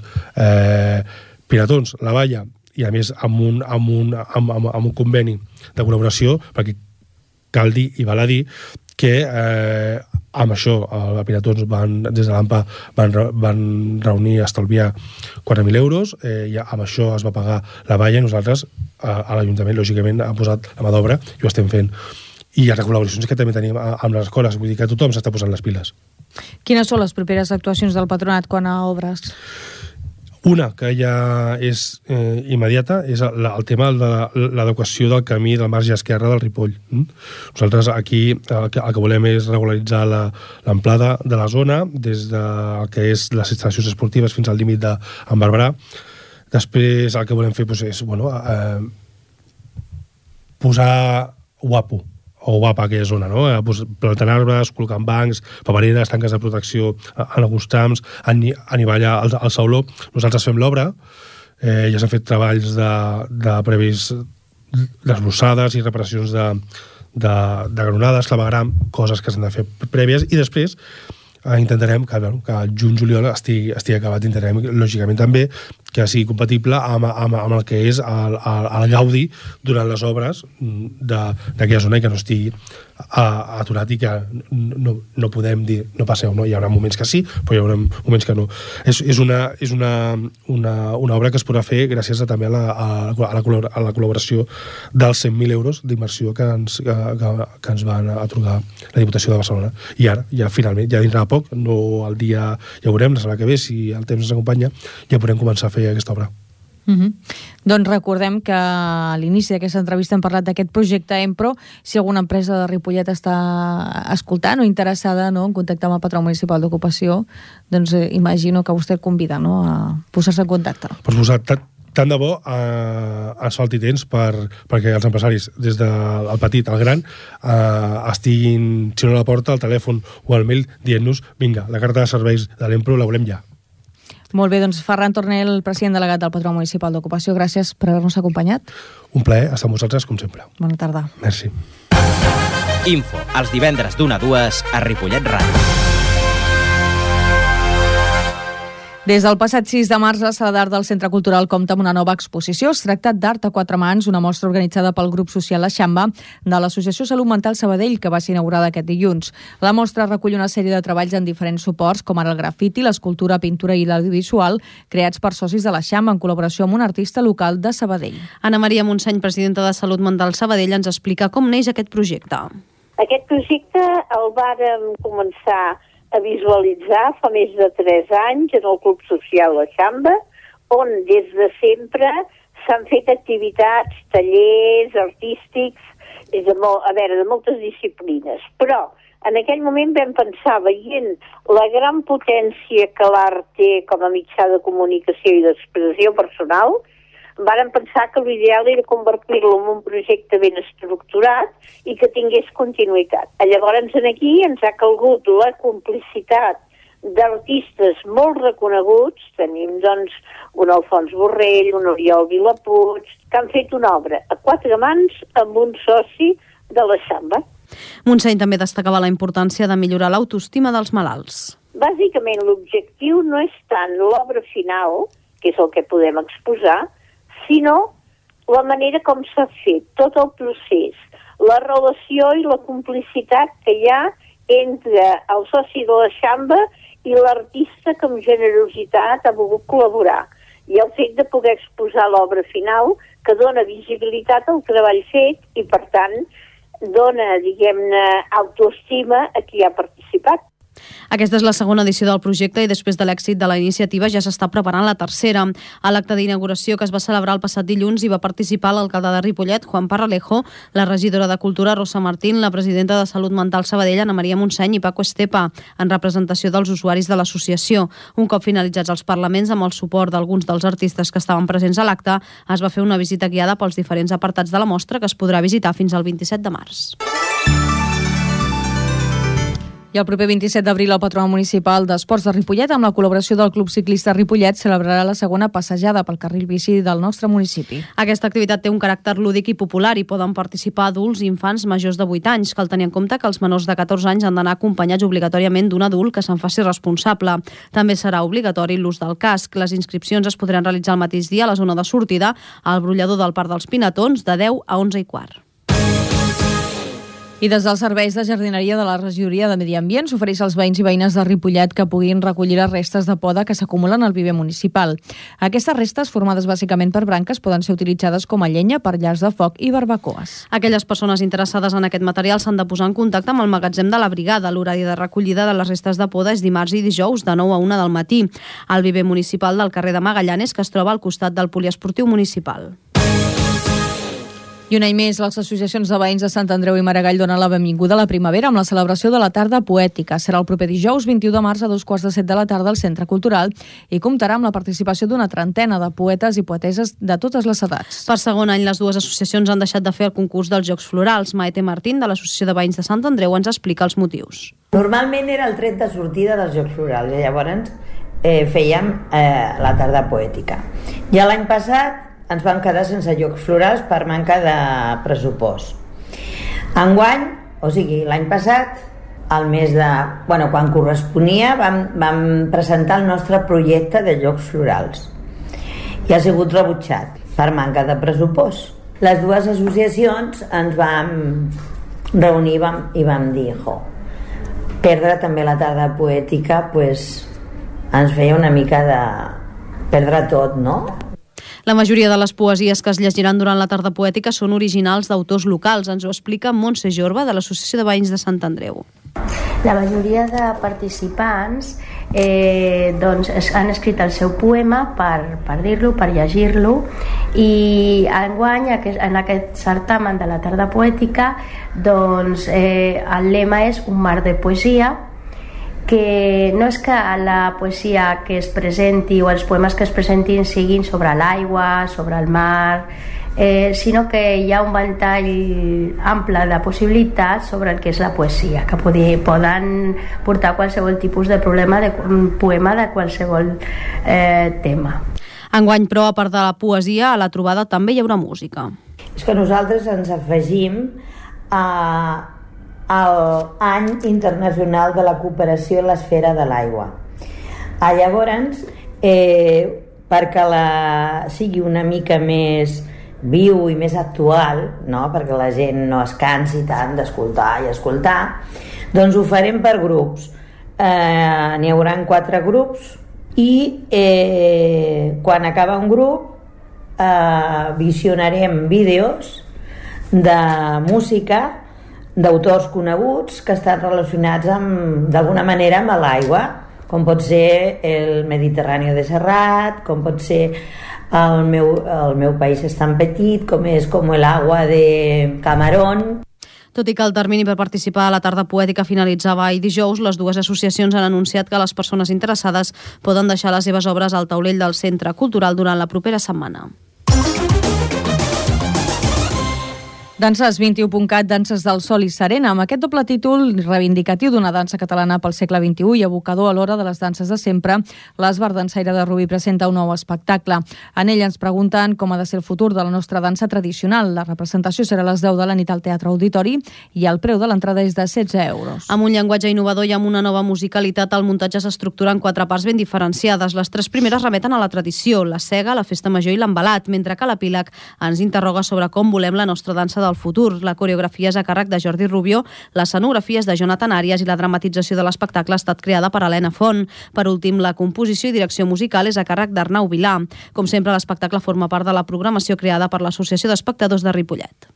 Pinatons, la valla, i a més amb un conveni de col·laboració, perquè cal dir i val a dir que amb això a Pinatons des de l'AMPA van reunir i estalviar 4.000 euros, i amb això es va pagar la valla, i nosaltres a l'Ajuntament lògicament ha posat la mà d'obra i ho estem fent. I les col·laboracions que també tenim amb les escoles, vull dir que tothom s'està posant les piles. Quines són les properes actuacions del Patronat quant a obres? Una, que ja és immediata, és el tema de l'adequació del camí del marge esquerre del Ripoll. Nosaltres aquí el que volem és regularitzar l'amplada de la zona des del que és les instal·lacions esportives fins al límit d'en Barberà. Després el que volem fer és posar guapo o guapa aquella zona, no? Plantant arbres, col·locant bancs, papereres, tanques de protecció en alguns trams, anivellar el sauló. Nosaltres fem l'obra, ja s'han fet treballs de previs desbrossades i reparacions de granonades, clavegram, coses que s'han de fer prèvies, i després intentarem que el juny-juliol estigui acabat. Intentarem, lògicament, també que sigui compatible amb el que és el gaudi durant les obres d'aquella zona i que no estigui aturat i que no podem dir no passeu, no? Hi haurà moments que sí, però hi haurà moments que no. És una obra que es podrà fer gràcies també a la col·laboració dels 100.000 euros d'inversió que ens van atorgar la Diputació de Barcelona. I ara, ja finalment, ja dintre de poc, no el dia, ja veurem, la setmana que ve, si el temps ens acompanya, ja podrem començar a fer aquesta obra. Doncs recordem que a l'inici d'aquesta entrevista hem parlat d'aquest projecte Empro. Si alguna empresa de Ripollet està escoltant o interessada en contactar amb el Patró Municipal d'Ocupació, doncs imagino que vostè convida a posar-se en contacte. Per posar tant de bo ens falti temps perquè els empresaris, des del petit al gran, estiguin, si no a la porta, al telèfon o al mail, dient-nos, vinga, la carta de serveis de l'Empro la volem ja. Molt bé, doncs Ferran Tornel, president delegat del Patró Municipal d'Ocupació, gràcies per haver-nos acompanyat. Un plaer estar amb vosaltres, com sempre. Bona tarda. Merci. Info, els divendres d'1 a 2 a Ripollet Ràdio. Des del passat 6 de març, la Sala d'Art del Centre Cultural compta amb una nova exposició. Es tracta d'Art a 4 mans, una mostra organitzada pel grup social La Xamba de l'Associació Salut Mental Sabadell, que va ser inaugurada aquest dilluns. La mostra recull una sèrie de treballs en diferents suports, com ara el grafiti, l'escultura, pintura i l'audiovisual, creats per socis de La Xamba en col·laboració amb un artista local de Sabadell. Ana Maria Montseny, presidenta de Salut Mental Sabadell, ens explica com neix aquest projecte. Aquest projecte el vàrem començar a visualitzar fa més de 3 anys en el Club Social La Xamba, on des de sempre s'han fet activitats, tallers artístics, de moltes disciplines. Però en aquell moment vam pensar, veient la gran potència que l'art té com a mitjà de comunicació i d'expressió personal, vàrem pensar que l'ideal era convertir-lo en un projecte ben estructurat i que tingués continuïtat. Llavors aquí ens ha calgut la complicitat d'artistes molt reconeguts. Tenim doncs un Alfons Borrell, un Oriol Vilapuig, que han fet una obra a 4 mans amb un soci de la Xamba. Montseny també destacava la importància de millorar l'autoestima dels malalts. Bàsicament l'objectiu no és tant l'obra final, que és el que podem exposar, sinó la manera com s'ha fet, tot el procés, la relació i la complicitat que hi ha entre el soci de la Xamba i l'artista que amb generositat ha volgut col·laborar. I el fet de poder exposar l'obra final que dona visibilitat al treball fet i, per tant, dona, diguem-ne, autoestima a qui ha participat. Aquesta és la segona edició del projecte i després de l'èxit de la iniciativa ja s'està preparant la tercera. A l'acte d'inauguració que es va celebrar el passat dilluns hi va participar l'alcalde de Ripollet, Juan Parralejo, la regidora de Cultura, Rosa Martín, la presidenta de Salut Mental Sabadell, Ana Maria Montseny, i Paco Estepa, en representació dels usuaris de l'associació. Un cop finalitzats els parlaments, amb el suport d'alguns dels artistes que estaven presents a l'acte, es va fer una visita guiada pels diferents apartats de la mostra que es podrà visitar fins al 27 de març. I el proper 27 d'abril el Patronat Municipal d'Esports de Ripollet, amb la col·laboració del Club Ciclista Ripollet, celebrarà la segona passejada pel carril bici del nostre municipi. Aquesta activitat té un caràcter lúdic i popular i poden participar adults i infants majors de 8 anys. Cal tenir en compte que els menors de 14 anys han d'anar acompanyats obligatòriament d'un adult que se'n faci responsable. També serà obligatori l'ús del casc. Les inscripcions es podran realitzar el mateix dia a la zona de sortida al brollador del Parc dels Pinatons de 10 a 11:15. I des dels serveis de jardineria de la regidoria de Medi Ambient s'ofereix als veïns i veïnes de Ripollet que puguin recollir les restes de poda que s'acumulen al viver municipal. Aquestes restes, formades bàsicament per branques, poden ser utilitzades com a llenya per llars de foc i barbacoes. Aquelles persones interessades en aquest material s'han de posar en contacte amb el magatzem de la brigada. L'horari de recollida de les restes de poda és dimarts i dijous de 9 a 1 del matí al viver municipal del carrer de Magallanes, que es troba al costat del poliesportiu municipal. I un any més, les associacions de veïns de Sant Andreu i Maragall donen la benvinguda a la primavera amb la celebració de la tarda poètica. Serà el proper dijous 21 de març a 2:15 de la tarda al Centre Cultural i comptarà amb la participació d'una trentena de poetes i poeteses de totes les edats. Per segon any, les dues associacions han deixat de fer el concurs dels Jocs Florals. Maite Martín, de l'Associació de Veïns de Sant Andreu, ens explica els motius. Normalment era el tret de sortida dels Jocs Florals i llavors fèiem la tarda poètica. I l'any passat ens vam quedar sense Jocs Florals per manca de pressupost. Enguany, o sigui, l'any passat, al mes de... Bueno, quan corresponia, vam presentar el nostre projecte de Jocs Florals i ha sigut rebutjat per manca de pressupost. Les dues associacions ens vam reunir i vam dir perdre també la tarda poètica pues, ens feia una mica de perdre tot, no? La majoria de les poesies que es llegiran durant la tarda poètica són originals d'autors locals. Ens ho explica Montse Jorba, de l'Associació de Veïns de Sant Andreu. La majoria de participants doncs han escrit el seu poema per dir-lo, per llegir-lo, i enguany en aquest certamen de la tarda poètica doncs, el lema és un mar de poesia, que no és que la poesia que es presenti o els poemes que es presentin siguin sobre l'aigua, sobre el mar, sinó que hi ha un ventall ample de possibilitats sobre el que és la poesia, que poden portar qualsevol tipus de problema, un poema de qualsevol tema. Enguany, però, a part de la poesia, a la trobada també hi haurà música. És que nosaltres ens afegim a l'Any Internacional de la Cooperació en l'Esfera de l'Aigua. Llavors, perquè sigui una mica més viu i més actual, no? Perquè la gent no es cansi tant d'escoltar i escoltar, doncs ho farem per grups. N'hi haurà 4 grups i quan acaba un grup visionarem vídeos de música d'autors coneguts que estan relacionats d'alguna manera amb l'aigua, com pot ser el Mediterrani de Serrat, com pot ser el meu país és tan petit, com és com l'agua de Camarón. Tot i que el termini per participar a la tarda poètica finalitzava ahir dijous, les dues associacions han anunciat que les persones interessades poden deixar les seves obres al taulell del Centre Cultural durant la propera setmana. Danses 21.cat, Danses del Sol i Serena, amb aquest doble títol reivindicatiu d'una dansa catalana pel segle XXI i abocador a l'hora de les danses de sempre, l'Esbar Dansaire de Rubí presenta un nou espectacle. En ell ens pregunten com ha de ser el futur de la nostra dansa tradicional. La representació serà a les 10 de la nit al Teatre Auditori i el preu de l'entrada és de 16 euros. Amb un llenguatge innovador i amb una nova musicalitat, el muntatge s'estructura en 4 parts ben diferenciades. Les 3 primeres remeten a la tradició, la sega, la festa major i l'embalat, mentre que l'epíleg ens interroga sobre com volem la nostra dansa del futur. La coreografia és a càrrec de Jordi Rubió, l'escenografia és de Jonathan Arias i la dramatització de l'espectacle ha estat creada per Helena Font. Per últim, la composició i direcció musical és a càrrec d'Arnau Vilà. Com sempre, l'espectacle forma part de la programació creada per l'Associació d'Espectadors de Ripollet.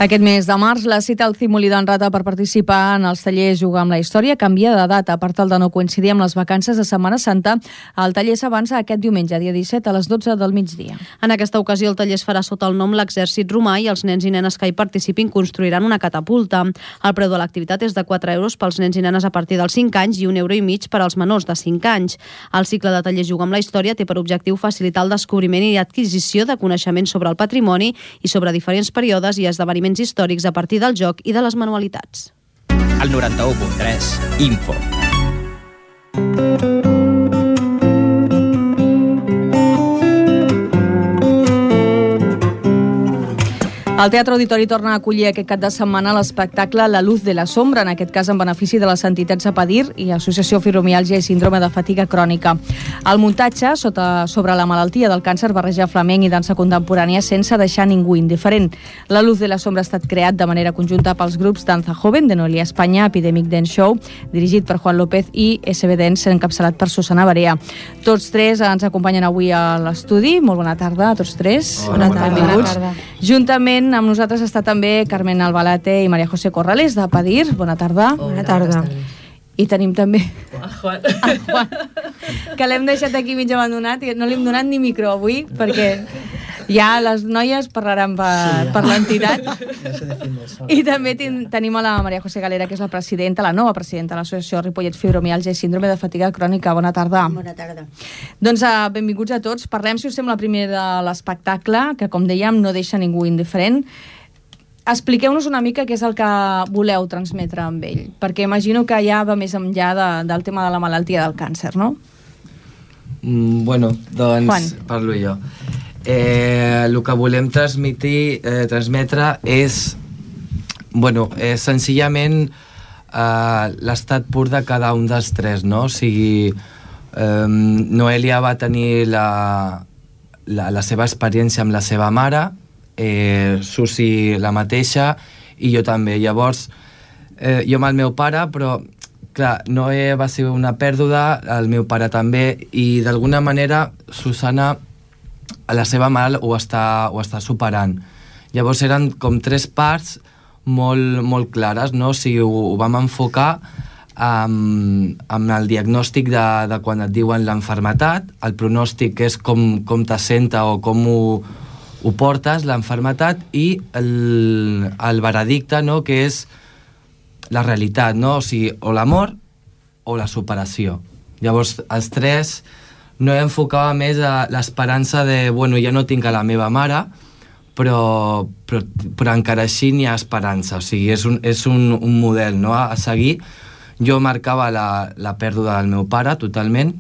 Aquest mes de març, la cita al Cimolí d'en Rata per participar en els tallers Jugar amb la Història canvia de data. Per tal de no coincidir amb les vacances de Setmana Santa, el taller s'avança aquest diumenge, dia 17, a les 12 del migdia. En aquesta ocasió, el taller es farà sota el nom L'Exèrcit Romà i els nens i nenes que hi participin construiran una catapulta. El preu de l'activitat és de 4 euros pels nens i nenes a partir dels 5 anys i 1,5 € per als menors de 5 anys. El cicle de tallers Jugar amb la Història té per objectiu facilitar el descobriment i adquisició de coneixements sobre el patrimoni i sobre diferents períodes i esdeveniments històrics a partir del joc i de les manualitats. El 91.3 Info. El Teatre Auditori torna a acollir aquest cap de setmana l'espectacle La Luz de la Sombra, en aquest cas en benefici de les entitats Apadir i Associació Fibromiàlgia i Síndrome de Fatiga Crònica. El muntatge sobre la malaltia del càncer barreja flamenc i dansa contemporània sense deixar ningú indiferent. La Luz de la Sombra ha estat creat de manera conjunta pels grups Danza Joven, de Noelia Espanya, Epidemic Dance Show, dirigit per Juan López, i SB Dance, encapçalat per Susana Barea. Tots tres ens acompanyen avui a l'estudi. Molt bona tarda a tots tres. Bona tarda. Benvinguts. Juntament amb nosaltres està també Carmen Albalate i María José Corrales, de Padir. Bona tarda. Bona tarda. I tenim també el Juan, que l'hem deixat aquí mig abandonat i no li hem donat ni micro avui perquè ja les noies parlaran per l'entitat. I també tenim a la María José Galera, que és la presidenta, la nova presidenta de l'Associació Ripollet Fibromiàlgia i Síndrome de Fatiga Crònica. Bona tarda. Bona tarda. Doncs benvinguts a tots. Parlem, si us sembla, primer de l'espectacle, que com dèiem no deixa ningú indiferent. Expliqueu-nos una mica què és el que voleu transmetre amb ell, perquè imagino que ja va més enllà del tema de la malaltia del càncer, no? Bueno, doncs Juan. parlo jo. El que volem transmetre és senzillament l'estat pur de cada un dels tres, no? O sigui, Noelia va tenir la seva experiència amb la seva mare, Susi la mateixa i jo també. Llavors, jo amb el meu pare, però clar, Noé va ser una pèrdua, el meu pare també, i d'alguna manera Susana, la seva mare, ho està superant. Llavors eren com tres parts molt clares, no? O sigui, ho vam enfocar amb el diagnòstic de quan et diuen l'enfermetat, el pronòstic que és com te senta o com ho portes, l'enfermetat, i el veredicte, no? Que és la realitat, no? O sigui, o l'amor o la superació. Llavors, els tres no enfocava més a l'esperança de, ja no tinc a la meva mare, però encara així n'hi ha esperança. O sigui, és un model, no? A seguir. Jo marcava la pèrdua del meu pare totalment,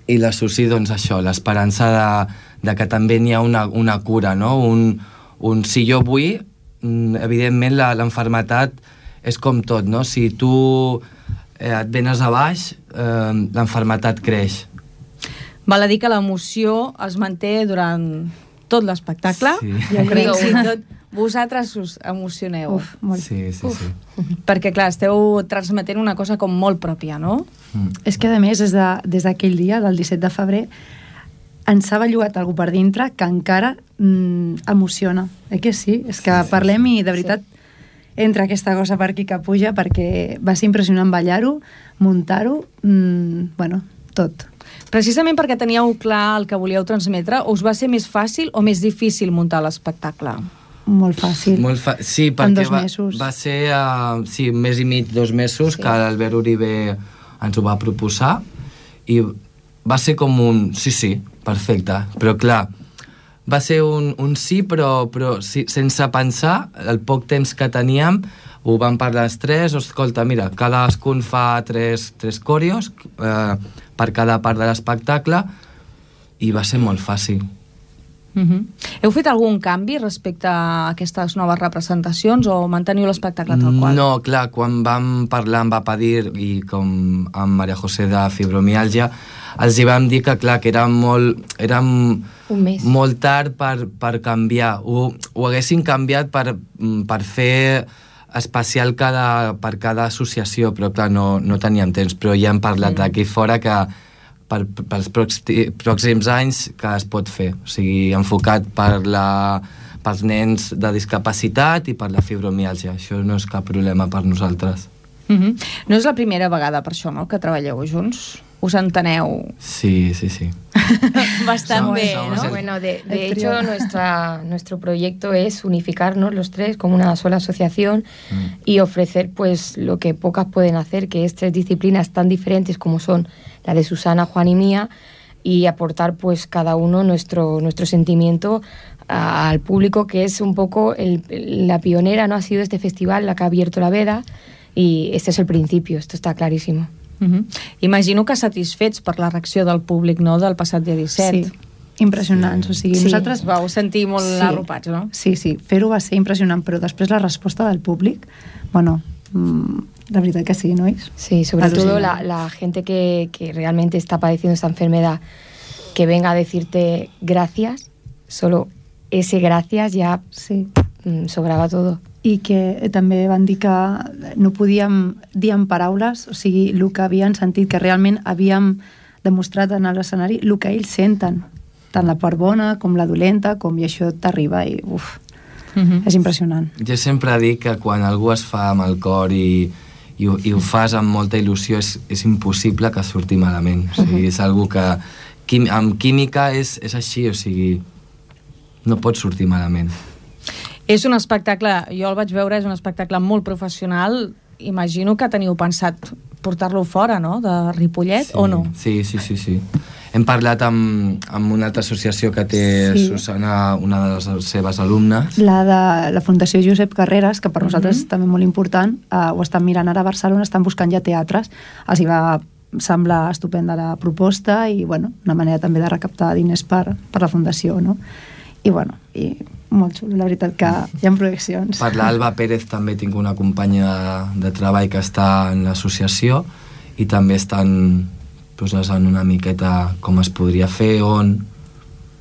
i la Susi, doncs això, l'esperança de que també n'hi ha una cura, no? Si jo vull, evidentment l'enfermetat és com tot, no? Si tu et venes a baix, l'enfermetat creix. Val a dir que l'emoció es manté durant tot l'espectacle. Sí. Jo crec que tot vosaltres us emocioneu. Molt. Sí. Perquè, clar, esteu transmetent una cosa com molt pròpia, no? És que, a més, des d'aquell dia, del 17 de febrer, ens ha bellugat algú per dintre que encara emociona. Que sí? És que parlem i, de veritat, entra aquesta cosa per aquí que puja, perquè va ser impressionant ballar-ho, muntar-ho, tot. Precisament perquè teníeu clar el que volíeu transmetre, us va ser més fàcil o més difícil muntar l'espectacle? Molt fàcil. Sí, en perquè 2 mesos. va ser un mes i mig, 2 mesos, que l'Albert Uribe ens ho va proposar, i va ser com un sí, perfecte, però clar, va ser un sí, però sense pensar, el poc temps que teníem, ho vam parlar els tres, escolta, mira, cadascun fa 3 còrios per cada part de l'espectacle, i va ser molt fàcil. Heu fet algun canvi respecte a aquestes noves representacions o manteniu l'espectacle tal qual? No, clar, quan vam parlar amb Apadir i com amb Maria José de fibromiàlgia, els hi vam dir que, clar, que era molt tard per canviar. Ho haguessin canviat per fer especial per cada associació, però clar, no teníem temps, però ja hem parlat d'aquí fora que pels pròxims anys que es pot fer, o sigui, enfocat pels nens de discapacitat i per la fibromiàlgia. Això no és cap problema per nosaltres. No és la primera vegada per això, no?, que treballeu junts? Us enteneu? Sí. Bastante bien, ¿no? Bueno, de hecho, nuestro proyecto es unificarnos los tres como una sola asociación y ofrecer pues lo que pocas pueden hacer, que es 3 disciplinas tan diferentes como son la de Susana, Juan y mía, y aportar pues cada uno nuestro sentimiento al público, que es un poco la pionera, ¿no? Ha sido este festival la que ha abierto la veda, y este es el principio, esto está clarísimo. Imagino que satisfets per la reacció del públic, no?, del passat dia 17. Sí, impressionants. O sigui, nosaltres vau sentir molt arropats, no? Sí, fer-ho va ser impressionant, però després la resposta del públic, la verdad que sí, ¿no es? Sí, sobre todo la gente que realmente está padeciendo esta enfermedad, que venga a decirte gracias, solo ese gracias ja sobrava todo. I que també van dir que no podíem dir en paraules, o sigui, el que havien sentit, que realment havíem demostrat en l'escenari, el que ells senten, tant la part bona com la dolenta, i això t'arriba i és impressionant. Jo sempre dic que quan algú es fa amb el cor i ho fas amb molta il·lusió, és impossible que surti malament. O sigui, és algo que amb química és així, o sigui, no pot sortir malament. És un espectacle, jo el vaig veure, és un espectacle molt professional. Imagino que teniu pensat portar-lo fora, no?, de Ripollet, o no? Sí. Hem parlat amb una altra associació que té Susana, una de les seves alumnes. La Fundació Josep Carreras, que per nosaltres és també molt important, ho estan mirant ara a Barcelona, estan buscant ja teatres. Els hi va semblar estupenda la proposta i, bueno, una manera també de recaptar diners per la Fundació, no? I, bueno, molt xulo, la veritat que hi ha projeccions. Per l'Alba Pérez també tinc una companya de treball que està en l'associació i també estan posant una miqueta com es podria fer, on...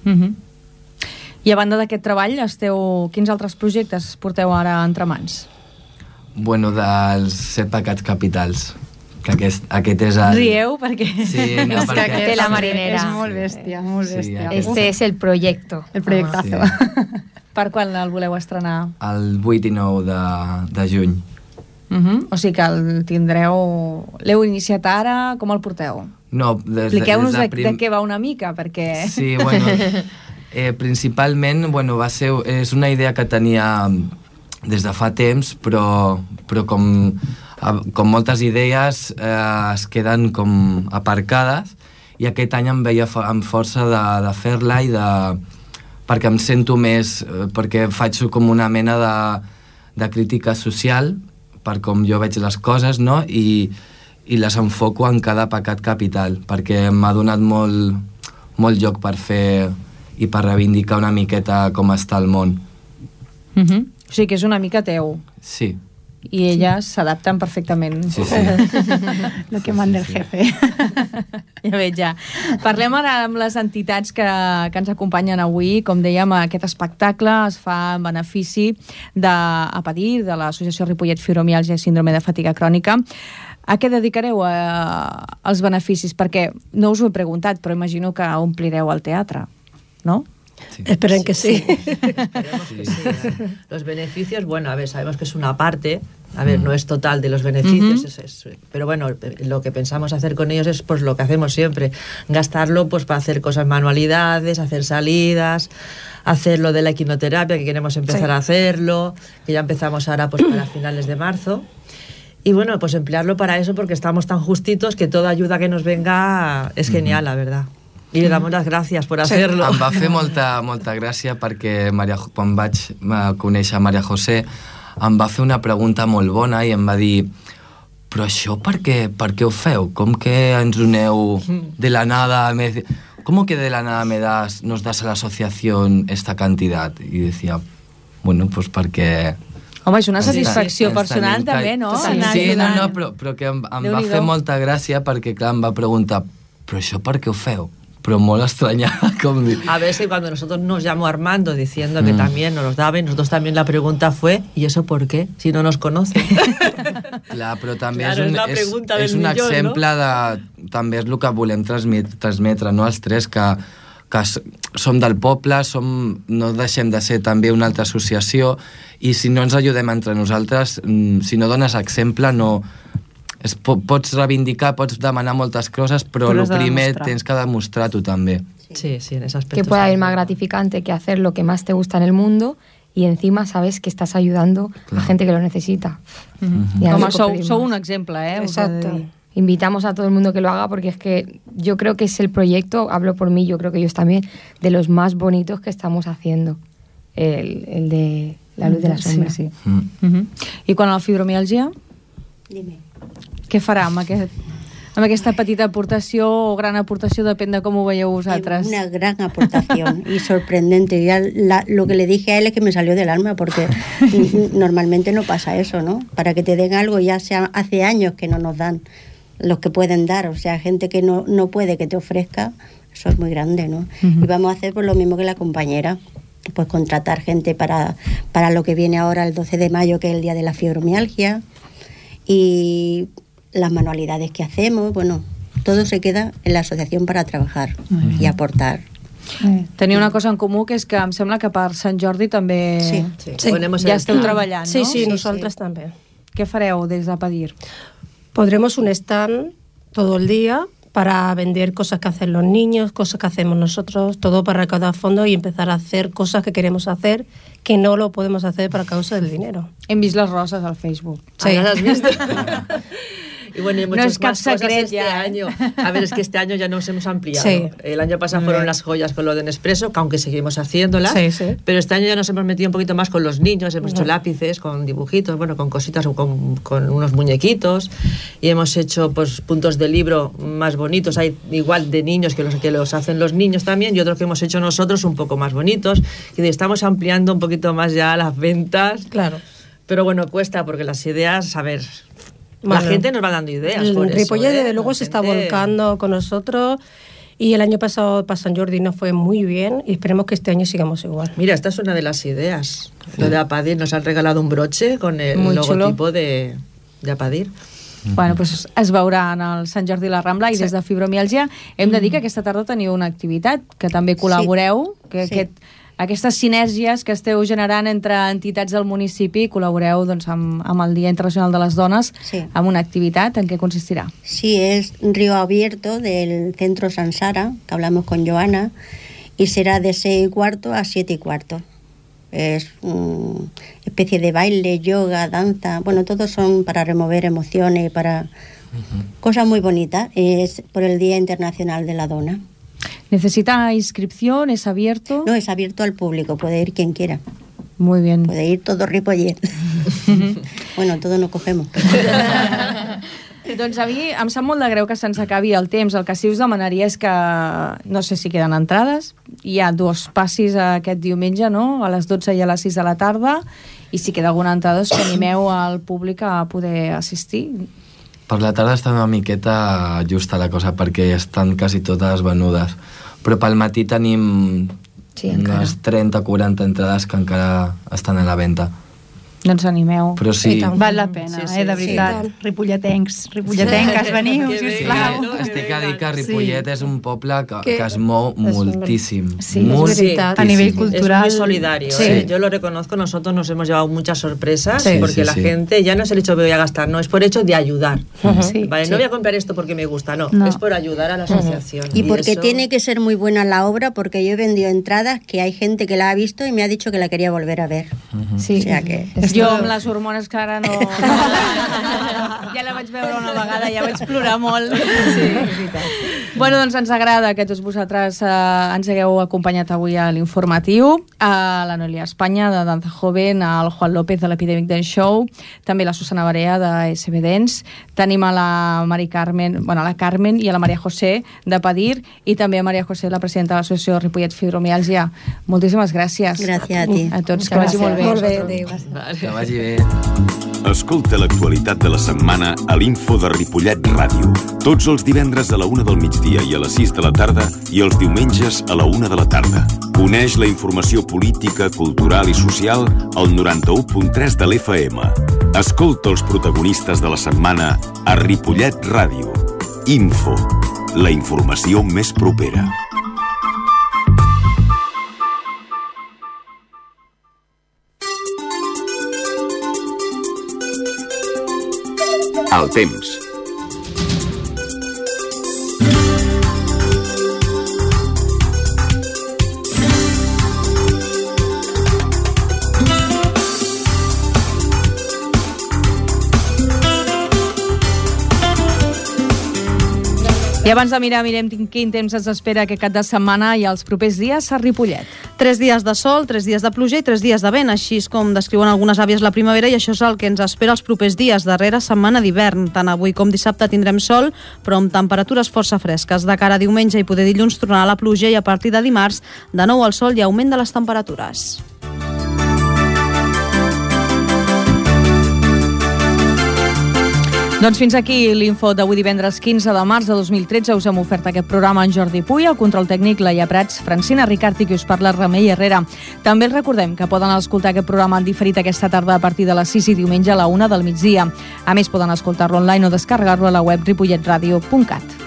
I a banda d'aquest treball, quins altres projectes porteu ara entre mans? Bueno, dels 7 pecats capitals, que aquest és el... Rieu perquè... Sí, no, és perquè... que la marinera. És molt bèstia, molt bèstia. Este és el projecte. El projectazo. Per quan el voleu estrenar? El 8 i 9 de juny. O sigui que el tindreu... L'heu iniciat ara? Com el porteu? No, expliqueu-nos de què va una mica, perquè... Sí, bueno, principalment, bueno, és una idea que tenia des de fa temps, però com moltes idees es queden com aparcades, i aquest any em veia amb força de fer-la perquè em sento més, perquè faig com una mena de crítica social per com jo veig les coses, no? I les enfoco en cada pecat capital, perquè m'ha donat molt lloc per fer i per reivindicar una miqueta com està el món. O sigui que és una mica teu. Sí. I elles s'adapten perfectament. Sí. Lo que manda el jefe. Ja veig, ja. Parlem ara amb les entitats que ens acompanyen avui. Com dèiem, aquest espectacle es fa en benefici a patir de l'Associació Ripollet Fibromiàlgia i Síndrome de Fatiga Crònica. A què dedicareu els beneficis? Perquè no us ho he preguntat, però imagino que omplireu el teatre, no? Sí. Esperen que sí. Esperemos que sí. Los beneficios, bueno, a ver, sabemos que es una parte, a ver, no es total de los beneficios, pero bueno, lo que pensamos hacer con ellos es pues lo que hacemos siempre, gastarlo pues para hacer cosas, manualidades, hacer salidas, hacer lo de la equinoterapia, que queremos empezar a hacerlo, que ya empezamos ahora pues para finales de marzo. Y bueno, pues emplearlo para eso porque estamos tan justitos que toda ayuda que nos venga es genial, la verdad. I li damos les gràcies per fer-lo. Em va fer molta gràcia perquè quan vaig conèixer Maria José em va fer una pregunta molt bona i em va dir, però això per què ho feu? Com que ens doneu de la nada? ¿Cómo que de la nada nos das a la asociación esta cantidad? I decía, bueno, pues perquè... Home, és una satisfacció personal també, no? Sí, no, però que em va fer molta gràcia perquè, clar, em va preguntar, però això per què ho feu? Pero molt estranyada. A veces cuando nosotros nos llamó Armando diciendo que también nos los daba, y nosotros también la pregunta fue, ¿y eso por qué? Si no nos conocen. Clar, però també és un exemple de... També és el que volem transmetre, no? Els tres, que som del poble, no deixem de ser també una altra associació, i si no ens ajudem entre nosaltres, si no dones exemple, no... Pots reivindicar, pots demanar moltes coses, però el primer tens que demostrar-ho també. Sí, en ese aspecto. Que puede haber más gratificante que hacer lo que más te gusta en el mundo y encima sabes que estás ayudando a gente que lo necesita. Como sou un ejemplo, Exacto. Invitamos a todo el mundo que lo haga porque es que yo creo que es el proyecto, hablo por mí, yo creo que ellos también, de los más bonitos que estamos haciendo. El de la luz de la sombra. Sí. I quan a la fibromiàlgia? Dime. Què farà amb aquesta petita aportació o gran aportació, depèn de com ho veieu vosaltres? Una gran aportación y sorprendente. Ya lo que le dije a él es que me salió del alma porque normalmente no pasa eso, ¿no? Para que te den algo ya hace años que no nos dan los que pueden dar, o sea, gente que no puede que te ofrezca, eso es muy grande, ¿no? Y vamos a hacer pues lo mismo que la compañera, pues contratar gente para lo que viene ahora el 12 de mayo, que es el día de la fibromialgia, y las manualidades que hacemos, bueno, todo se queda en la asociación para trabajar y aportar. Teniu una cosa en comú, que és que em sembla que per Sant Jordi també ja esteu treballant, sí, ¿no? Sí, nosotras también. ¿Qué fareu des de Padir? Pondremos un stand todo el día para vender cosas que hacen los niños, cosas que hacemos nosotros, todo para recaudar fondos y empezar a hacer cosas que queremos hacer, que no lo podemos hacer para causa del dinero. Hem vist les roses al Facebook. Sí. ¿Las has visto? Y bueno, hay muchas más cosas este año. A ver, es que este año ya nos hemos ampliado. Sí. El año pasado fueron las joyas con lo de Nespresso, que aunque seguimos haciéndolas, pero este año ya nos hemos metido un poquito más con los niños, hemos hecho lápices, con dibujitos, bueno, con cositas, con unos muñequitos, y hemos hecho pues puntos de libro más bonitos, hay igual de niños que los hacen los niños también, y otros que hemos hecho nosotros un poco más bonitos, y estamos ampliando un poquito más ya las ventas. Claro. Pero bueno, cuesta, porque las ideas, a ver, la gente nos va dando ideas. El Ripollet, desde luego, se está volcando con nosotros. Y el año pasado para San Jordi nos fue muy bien y esperemos que este año sigamos igual. Mira, esta es una de las ideas. Lo de Apadir, nos han regalado un broche con el logotipo de Apadir. Bueno, doncs es veurà en el Sant Jordi i la Rambla i des de Fibromiàlgia hem de dir que aquesta tarda teniu una activitat que també col·laboreu, que aquestes sinergies que esteu generant entre entitats del municipi, col·laboreu doncs, amb el Dia Internacional de les Dones amb una activitat. En què consistirà? Sí, es Río Abierto del Centro Sansara, que hablamos con Joana, y será de 6:15 a 7:15. Es una especie de baile, yoga, danza, bueno, todos son para remover emociones, para cosas muy bonitas. Es por el Día Internacional de la Dona. ¿Necesita inscripción? ¿Es abierto? No, es abierto al público, puede ir quien quiera. Muy bien. Puede ir todo Ripollet. Bueno, todo no cogemos. Doncs a mi em sap molt de greu que se'ns acabi el temps. El que sí us demanaria és que, no sé si queden entrades, hi ha 2 passis aquest diumenge, no? A les 12 i a les 6 de la tarda, i si queda alguna entrada que animeu al públic a poder assistir. Per la tarda està una miqueta justa la cosa, perquè estan quasi totes venudes. Però pel matí tenim unes 30-40 entrades que encara estan a la venda. Doncs animeu. Però sí. Val la pena, de veritat. Sí, ripolletencs, veniu, sisplau. Estic a dir que Ripollet és un poble que es mou moltíssim. Sí, es veritat. A nivell cultural. Es muy solidario. Sí. Yo lo reconozco, nosotros nos hemos llevado muchas sorpresas, porque la gente ya no es el hecho de voy a gastar, no, es por hecho de ayudar. Vale, no voy a comprar esto porque me gusta, no, es por ayudar a la asociación. Y porque eso... tiene que ser muy buena la obra, porque yo he vendido entradas que hay gente que la ha visto y me ha dicho que la quería volver a ver. Sí. O sea que... Jo amb les hormones que ara no... Ja la vaig veure una vegada, ja vaig plorar molt. Sí, és veritat. Bueno, doncs ens agrada que tots vosaltres ens hagueu acompanyat avui a l'informatiu, a la Noelia Espanya de Danza Joven, al Juan López de l'Epidemic Dance Show, també la Susana Barea de SB Dance, tenim a la Mari Carmen, bueno, a la Carmen i a la Maria José de Padir, i també a Maria José, la presidenta de l'associació Ripollet Fibromiàlgia. Moltíssimes gràcies. Gràcies a ti. A tots, que vagi molt bé. Molt bé, adéu. Que vagi bé. Escolta l'actualitat de la setmana a l'Info de Ripollet Ràdio. Tots els divendres a la 1 del migdia i a les 6 de la tarda i els diumenges a la 1 de la tarda. Coneix la informació política, cultural i social al 91.3 de l'FM. Escolta els protagonistes de la setmana a Ripollet Ràdio. Info, la informació més propera. El temps. I abans de mirar, mirem quin temps ens espera aquest cap de setmana i els propers dies a Ripollet. 3 dies de sol, 3 dies de pluja i 3 dies de vent, així és com descriuen algunes àvies la primavera, i això és el que ens espera els propers dies, darrera setmana d'hivern. Tant avui com dissabte tindrem sol, però amb temperatures força fresques. De cara a diumenge i poder dilluns tornarà la pluja, i a partir de dimarts, de nou el sol i augment de les temperatures. Doncs fins aquí l'info d'avui divendres 15 de març de 2013. Us hem ofert aquest programa en Jordi Puy, el control tècnic Laia Prats, Francina Ricart i qui us parla Remei Herrera. També els recordem que poden escoltar aquest programa en diferit aquesta tarda a partir de les 6 i diumenge a la 1 del migdia. A més, poden escoltar-lo online o descarregar-lo a la web ripolletradio.cat.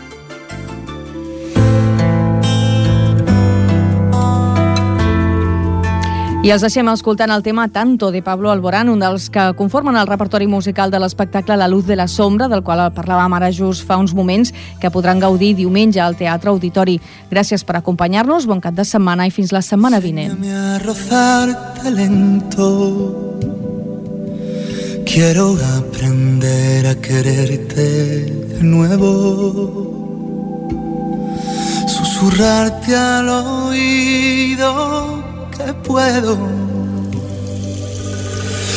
I els deixem escoltant el tema Tanto de Pablo Alborán, un dels que conformen el repertori musical de l'espectacle La luz de la sombra, del qual parlàvem ara just fa uns moments, que podran gaudir diumenge al Teatre Auditori. Gràcies per acompanyar-nos, bon cap de setmana i fins la setmana vinent. A rozarte lento, Quiero aprender a quererte de nuevo, susurrarte al oído que puedo.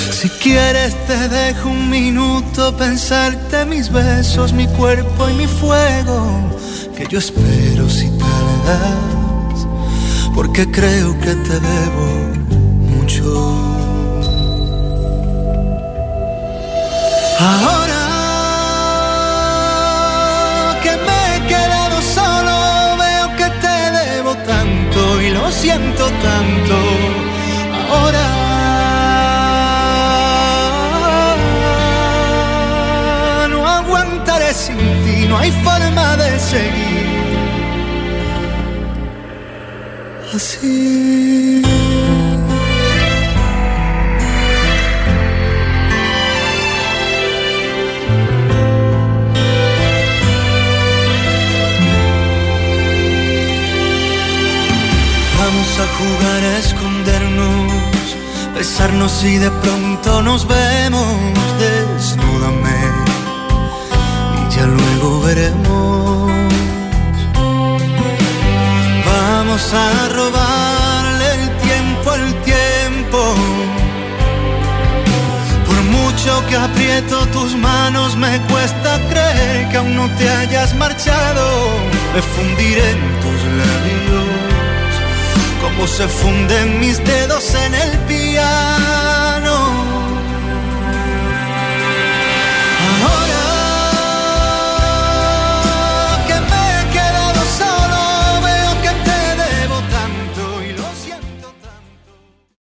Si quieres te dejo un minuto, pensarte mis besos, mi cuerpo y mi fuego, que yo espero si tardas, porque creo que te debo mucho. Ahora que me he quedado solo, veo que te debo tanto y lo siento tanto. Ahora no aguantaré sin ti, no hay forma de seguir así. Vamos a jugar a escondernos, besarnos y de pronto nos vemos. Desnúdame y ya luego veremos. Vamos a robarle el tiempo al tiempo. Por mucho que aprieto tus manos, me cuesta creer que aún no te hayas marchado. Me fundiré en tus labios como se funden mis dedos